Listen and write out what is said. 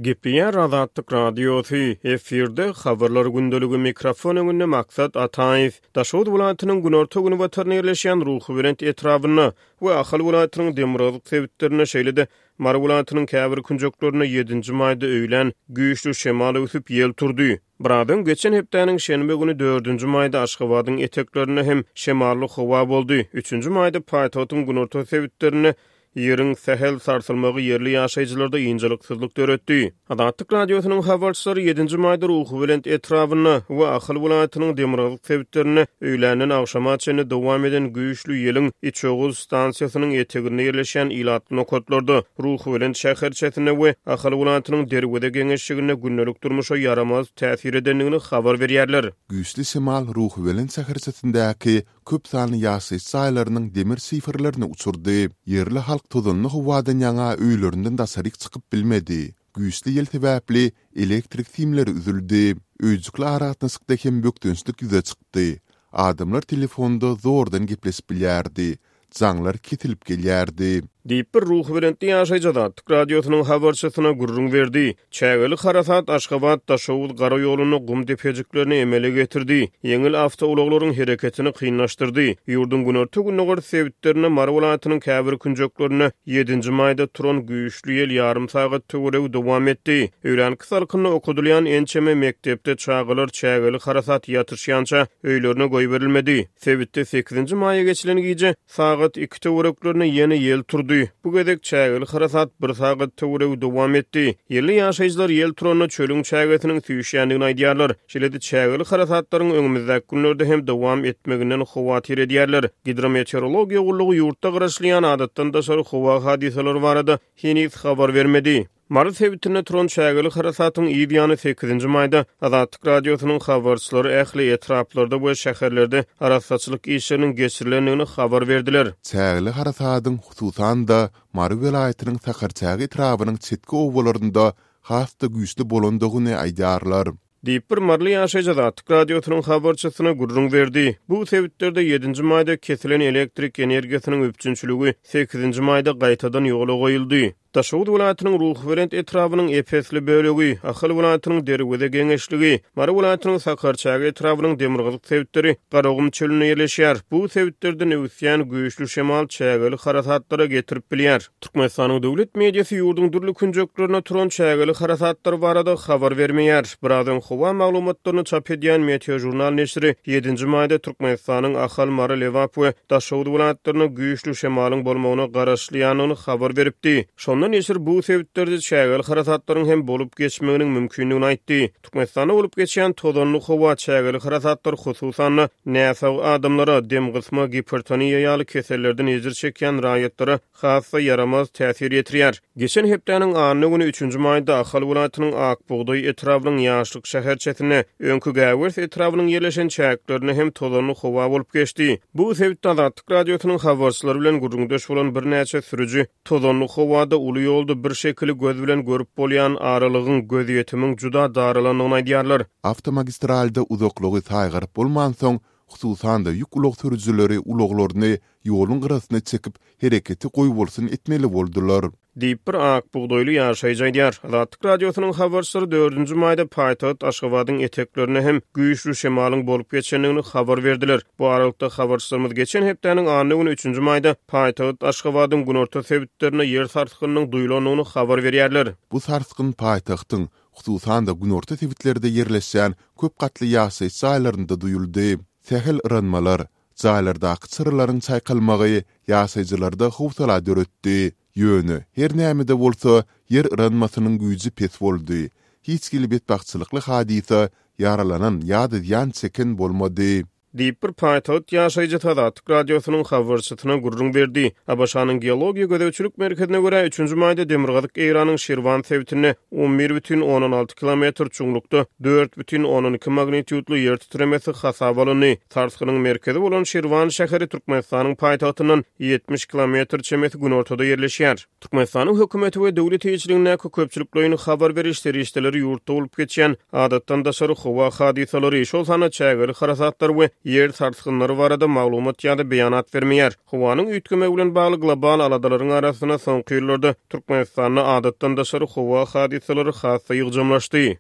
Gepleýär Azatlyk Radiosy, efirde Habarlar gündeligi mikrofon öňünde Maksat Ataýew. Daşoguz welaýatynyň günorta-günbatarynda ýerleşýän Ruhubelent etrabynda we Ahal welaýatynyň demirgazyk sebitlerinde, şeýle-de Mary welaýatynyň käbir künjeklerinde ýedinji maýda öýlän güýçli şemal öwsüp, ýel turdy. Biraz öň, geçen hepdäniň şenbe güni, dördünji maýda Aşgabadyň eteklerinde hem şemally howa boldy. Üçünji maýda paýtagtyň günorta sebitlerinde Ýeriň sähel sarsylmagy ýerli ýaşaýjylarda ynjalyksyzlyk döretdi. Azatlyk Radiosynyň habarçylary ýedinji maýda Ruhubelent etrabynda we Ahal welaýatynyň demirgazyk sebitlerinde öýländen agşama çenli dowam eden güýçli ýeliň Içoguz stansiýasynyň eteginde ýerleşýän ilatly nokatlarda, Ruhubelent şäherçesinde we Ahal welaýatynyň Derweze geňeşliginde gündelik durmuşa ýaramaz täsir edendigini habar berýärler. Güýçli şemal Ruhubelent şäherçesindäki köp sanly ýaşaýyş jaýlarynyň demir şiferlerini uçurdy. Ýerli halk tozanly howadan ýaňa öýlerinden daşaryk çykyp bilmedi. Güýçli ýel sebäpli elektrik simleri üzüldi. Öýjükli aragatnaşykda hem bökdençlik ýüze çykdy. Adamlar telefonda zordan gepleşip bilýärdi. Jaňlar kesilip gelýärdi. Diýip, bir ruhubelentli ýaşaýjy Azatlyk Radiosynyň habarçysyna gürrüň berdi. Çägeli harasat Aşgabat, Daşoguz gara ýolunda gum depejiklerini emele getirdi, ýeňil awtoulaglaryň hereketini kynlaşdyrdy. Ýurduň günorta-gündogar sebitlerinde, Mary welaýatynyň käbir künjeklerinde ýedinji maýda turan güýçli ýel ýarym sagat töweregi dowam etdi. Öýlänki salkynda okadylýan ençeme mekdepde çagalar çägeli harasat ýatyşýança öýlerine goýberilmedi. Sebitde sekizinji maýa geçilen gije sagat iki töwereklerinde ýene ýel turdy. Bu gezek çägeli harasat bir sagat töweregi dowam etdi. Ýerli ýaşaýjylar ýel turanda çölüň çägesiniň süýşýändigini aýdýarlar. Şeýle-de çägeli harasatlaryň öňümizdäki günlerde hem dowam etmeginden howatyr edýärler. Gidrometeorologiýa gullugy ýurtda garaşylýan adatdan daşary howa hadysalary barada heniz habar bermedi. Mary sebitinde turan çägeli harasatyň yz ýany sekizinji maýda Azatlyk Radiosynyň habarçylary ähli etraplarda we şäherlerde arassaçylyk işleriniň geçirilendigini habar berdiler. Çägeli harasadyň, hususan-da, Mary welaýatynyň Sakarçäge etrabynyň çetki obalarynda has-da güýçli bolandygyny aýdýarlar. Diýip, bir maryly ýaşaýjy Azatlyk Radiosynyň habarçysyna gürrüň berdi. Bu sebitlerde ýedinji maýda kesilen elektrik energiýasynyň üpjünçiligi sekizinji maýda gaýtadan ýola goýuldy. Daşoguz welaýatynyň Ruhubelent etrabynyň ep-esli bölegi, Ahal welaýatynyň Derweze geňeşligi, Mary welaýatynyň Sakarçäge etrabynyň demirgazyk sebitleri Garagum çölünde ýerleşýär. Bu sebitlerden öwüsýän güýçli şemal çägeli harasatlara getirip bilýär. Türkmenistanyň döwlet mediasy ýurduň dürli künjeklerinde turan çägeli harasatlar barada habar bermeýär. Biraz öň howa maglumatlaryny çap edýän Meteožurnal neşiri ýedinji maýda Türkmenistanyň Ahal, Mary, Lebap we Daşoguz welaýatlarynda güýçli şemalyň bolmagyna garaşylýandygyny habar beripdi. Şonda neşir bu sebitlerde çägeli harasatlaryň hem bolup geçmeginiň mümkindigini aýtdy. Türkmenistanda bolup geçýän tozanly howa, çägeli harasatlar, hususan-da, näsag adamlara, demgysma, gipertoniýa ýaly kesellerden ejir çekýän raýatlara has-da ýaramaz täsir ýetirýär. Geçen hepdäniň anna güni, üçünji maýda Ahal welaýatynyň Ak bugdaý etrabynyň Ýaşlyk şäherçesinde, öňki Gäwers etrabynyň ýerleşen çäklerinde hem tozanly howa bolup geçdi. Bu sebitde Azatlyk Radiosynyň habarçylary bilen gürrüňdeş bolan birnäçe sürüji Tozanly howada uly ýolda bir şekili göz bilen görüp bolýan aralygyň, gözýetimiň juda daralandygyny aýdýarlar. Awtomagistralda uzaklygy saýgaryp bolmansoň, hususan-da ýük ulag sürüjileri ulaglaryny ýoluň gyrasyna çekip, hereketi goýbolsun etmeli boldular. Diýip, bir ak bugdaýly ýaşaýjy aýdýar. Azatlyk Radiosynyň habarçylary dördünji maýda paýtagt Aşgabadyň eteklerinde hem güýçli şemalyň bolup geçendigini habar berdiler. Bu aralykda, habarçylarymyz geçen hepdäniň anna güni, üçünji maýda paýtagt Aşgabadyň günorta sebitlerinde ýer sarsgynynyň duýlandygyny habar berýärler. Bu sarsgyn paýtagtyň, hususan-da, günorta sebitlerde ýerleşýän köp gatly ýaşaýyş jaýlarynda duýuldy. Sähel yranmalar, jaýlardaky çyralaryň çaýkalmagy ýaşaýjylarda howsala döretdi. Ýöne, her näme-de bolsa, ýer yranmasynyň güýji pes boldy. Hiç hili betbagtçylykly hadysa, ýaralanan ýa-da zyýan çeken bolmady. Diýip, bir paýtagt ýaşaýjysy Azatlyk Radiosynyň habarçysyna gürrüň berdi. ABŞ-nyň Geologiýa gözegçilik merkezine görä, üçünji maýda demirgazyk Eýranyň Şirwan sebitinde 11,6 kilometr çuňlukda 4,2 magnitýudly ýer titremesi hasaba alyndy. Sarsgynyň merkezi bolan Şirwan şäheri Türkmenistanyň paýtagtyndan 70 kilometr çemesi günortada ýerleşýär. Türkmenistanyň hökümeti we döwlet eýeçiligindäki köpçülikleýin habar beriş serişdeleri ýurtda bolup geçýän adatdan daşary howa hadysalary, şol sanda çägeli harasatlar we ýer sarsgynlary barada maglumat ýa-da beýanat bermeýär. Howanyň üýtgemegi bilen bagly global aladalaryň arasynda soňky ýyllarda Türkmenistanda adatdan daşary howa hadysalary has-da ýygjamlaşdy.